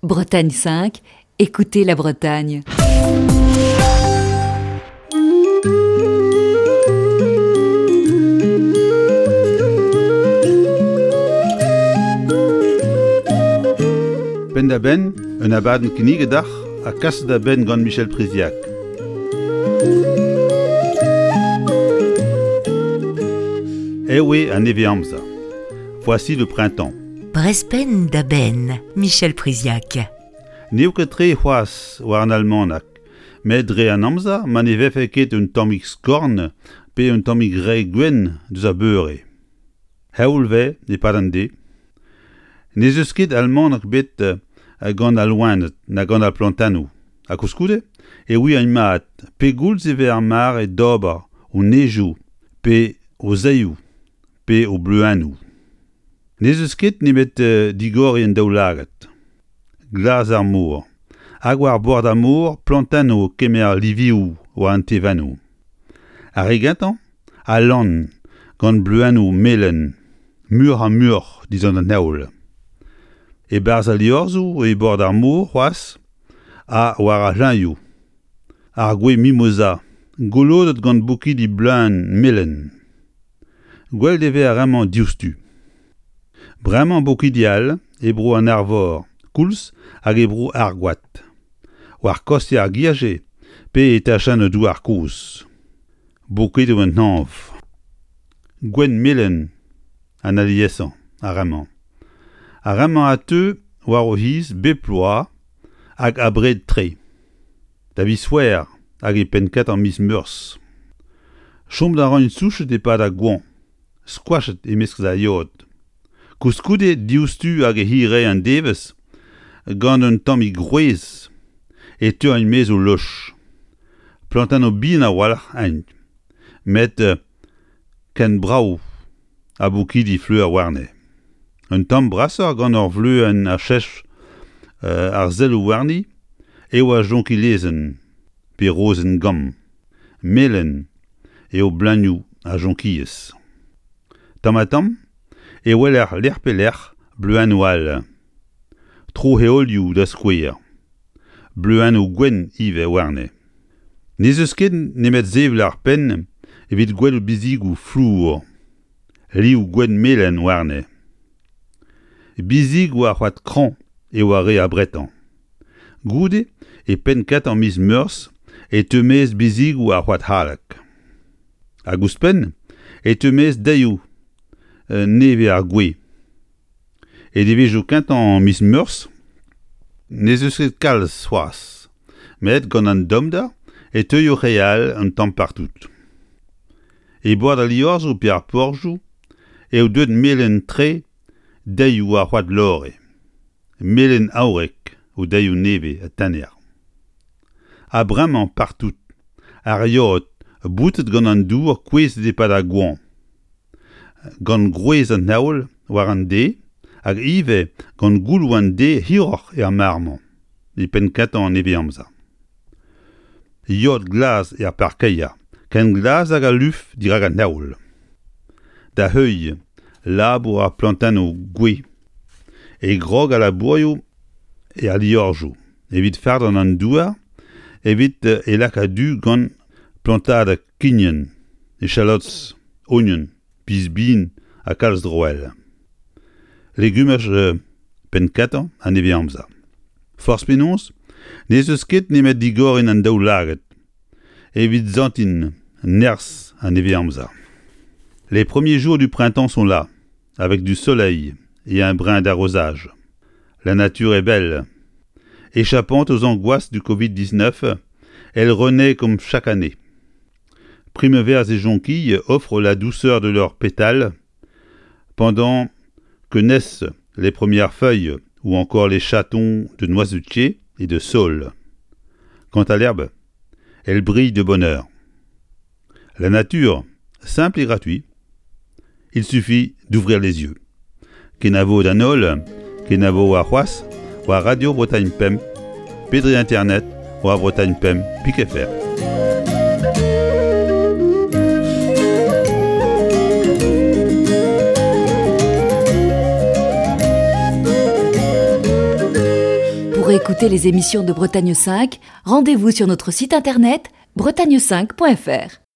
Bretagne 5, écoutez la Bretagne. Penn-da-benn, un abadenn kinniget deoc'h ha kaset da benn gant Michel Priziac. Ewe an nevez-amzer. Voici le printemps. Brezh da benn, Michel Priziac. N'eo ket tre c'hoazh war an almanach, met dre an amzer ma ne vefe ket un tammig skorn pe un tammig re gwenn deus ar beure. Heol 'vez e-pad an deiz. N'ez eus ket almanach bet gant al loened na gant ar plantennoù ha koulskoude e ouiaint mat pegoulz e vez ar mare d'ober o nejoù pe o zaeoù pe o bleuennoù. N'ez eus ket nemet digoriñ an daoulagad. Glas ar mor. Hag war bord ar mor plantennoù o kemer livioù war an tevennoù. Ar re gentañ a lann gant bleuennoù melen muioc'h-ha-muioc'h dindan an heol. E-barzh al liorzhoù e bord ar mor c'hoazh ha war ar c'hleuñioù. Ar gwez mimoza golodet gant bokidi bleuñv melen. Gwelet e vez ar re-mañ diouzhtu. Bremañ bokidi all e bro an Arvor koulz hag e bro Argoad, war kostez ar girje pe e tachennoù douar kozh. Bokedoù an hañv. Gwenn-melen an aliesañ ar re-mañ. Ar re-mañ a teu war o c'hiz bep bloaz hag abred-tre. Da viz C'hwec'her hag e penn-kentañ miz Meurzh. Chom a raint souchet e-pad ar goañv, skoachet e-mesk ar yod. Koulskoude diouzhtu hag e hirae an devezh, gant un tammig gwrez, e teuint 'maez o loch. Plantennoù bihan a-walc'h int, met ken brav ha bokidi fleur warne. Un tamm brasoc'h gant ur vleuenn a cheñch ar selloù warni eo ar jonkilezenn pe rozenn gamm. Melen eo bleunioù ar jonkilez. Tamm-ha-tamm e weler lec'h pe lec'h bleuennoù all. Tro-heolioù da skouer. Bleuennoù gwenn ivez warne. N'ez eus ket nemet sevel ar penn evit gwelout bizigoù flour, liv gwenn-melen warne. Bizigoù ar c'hoad kraoñ eo ar re abretañ. Goude, e penn-kentañ miz Meurzh e teu maez bizigoù ar c'hoad haleg. Hag ouzhpenn e teu maez deilioù nevez ar gwez. E devezhioù kentañ miz Meurzh n'ez eus ket kalz c'hoazh, met gant an tommder e teuio re all un tamm partout. E bord al liorzhoù pe ar porzhioù eo deuet melen-tre deilioù ar c'hoad lore, melen-aourek o deilioù nevez ha tener. Ha bremañ partout, ar yod boutet gant an dour kouezhet e-pad ar goañv, gant gwrez an heol war an deiz hag ivez gant gouloù an deiz hiroc'h er mare-mañ, e penn-kentañ an nevez-amzer. Yod glas er parkeier, ken glas hag al luf dirak an heol. Da heuilh labour ar plantennoù gwez e grog al labourioù er liorzhoù. Evit fardañ an douar evit e lakaat du gant plantadeg kignen, echalots, ognon, piz-bin ha kalz droell. Legumaj penn-kentañ an nevez-amzer. Forzh penaos, n'ez eus ket nemet digoriñ an daoulagad evit santiñ nerzh an nevez-amzer. Les premiers jours du printemps sont là, avec du soleil et un brin d'arrosage. La nature est belle. Échappant aux angoisses du Covid-19, elle renaît comme chaque année. Primevères et jonquilles offrent la douceur de leurs pétales pendant que naissent les premières feuilles ou encore les chatons de noisetiers et de saules. Quant à l'herbe, elle brille de bonheur. La nature, simple et gratuit, il suffit d'ouvrir les yeux. Kenavo d'an holl, kenavo warc'hoazh, war Radio Bretagne Pemp, pe dre internet war Bretagne Pemp pik FR. Pour écouter les émissions de Bretagne 5, rendez-vous sur notre site internet bretagne5.fr.